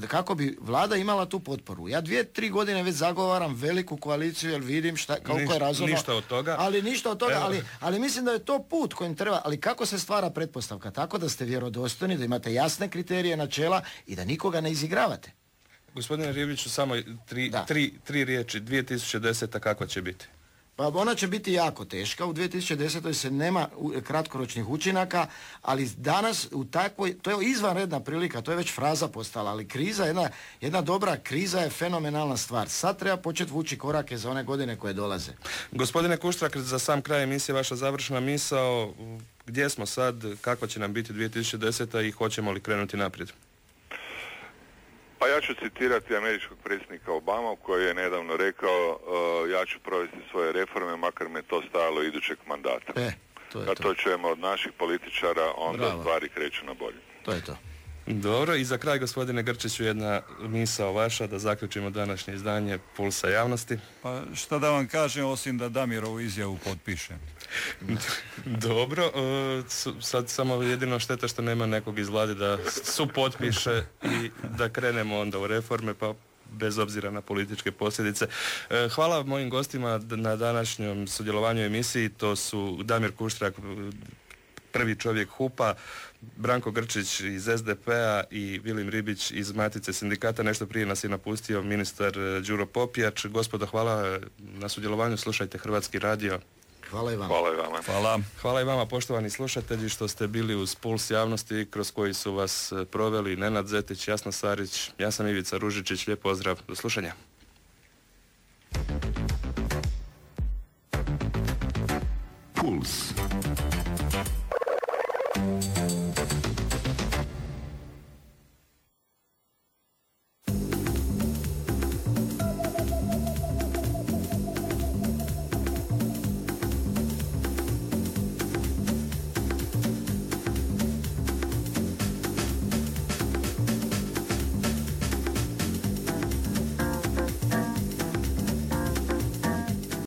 kako bi vlada imala tu potporu. Ja 2-3 godine već zagovaram veliku koaliciju jer vidim koliko je razumno. Ništa od toga. Ali ništa od toga, ali mislim da je to put kojim treba. Ali kako se stvara pretpostavka? Tako da ste vjerodostojni, da imate jasne kriterije, načela i da nikoga ne izigravate. Gospodine Ribiću, samo tri riječi. 2010. kakva će biti? Pa ona će biti jako teška, u 2010. se nema kratkoročnih učinaka, ali danas u takvoj, to je izvanredna prilika, to je već fraza postala, ali kriza, jedna dobra kriza je fenomenalna stvar. Sad treba početi vući korake za one godine koje dolaze. Gospodine Kuštrak, za sam kraj emisije vaša završna misao, gdje smo sad, kakva će nam biti 2010. i hoćemo li krenuti naprijed? Pa ja ću citirati američkog predsjednika Obama koji je nedavno rekao ja ću provesti svoje reforme makar me to stajalo idućeg mandata. Kad to čujemo od naših političara, onda stvari kreću na bolje. To je to. Dobro, i za kraj, gospodine Grčiću, jedna misao vaša da zaključimo današnje izdanje Pulsa javnosti. Pa šta da vam kažem, osim da Damirovu izjavu potpišem. Dobro, sad samo jedino šteta što nema nekog iz vlade da supotpiše i da krenemo onda u reforme, pa bez obzira na političke posljedice. Hvala mojim gostima na današnjem sudjelovanju u emisiji. To su Damir Kuštrak, prvi čovjek HUP-a, Branko Grčić iz SDP-a i Vilim Ribić iz Matice sindikata. Nešto prije nas je napustio ministar Đuro Popijač. Gospodo, hvala na sudjelovanju. Slušajte Hrvatski radio. Hvala i vama. Hvala i vama. Hvala. Hvala i vama, poštovani slušatelji, što ste bili uz Puls javnosti kroz koji su vas proveli Nenad Zetić, Jasna Sarić, ja sam Ivica Ružičić. Lijep pozdrav, do slušanja. Puls.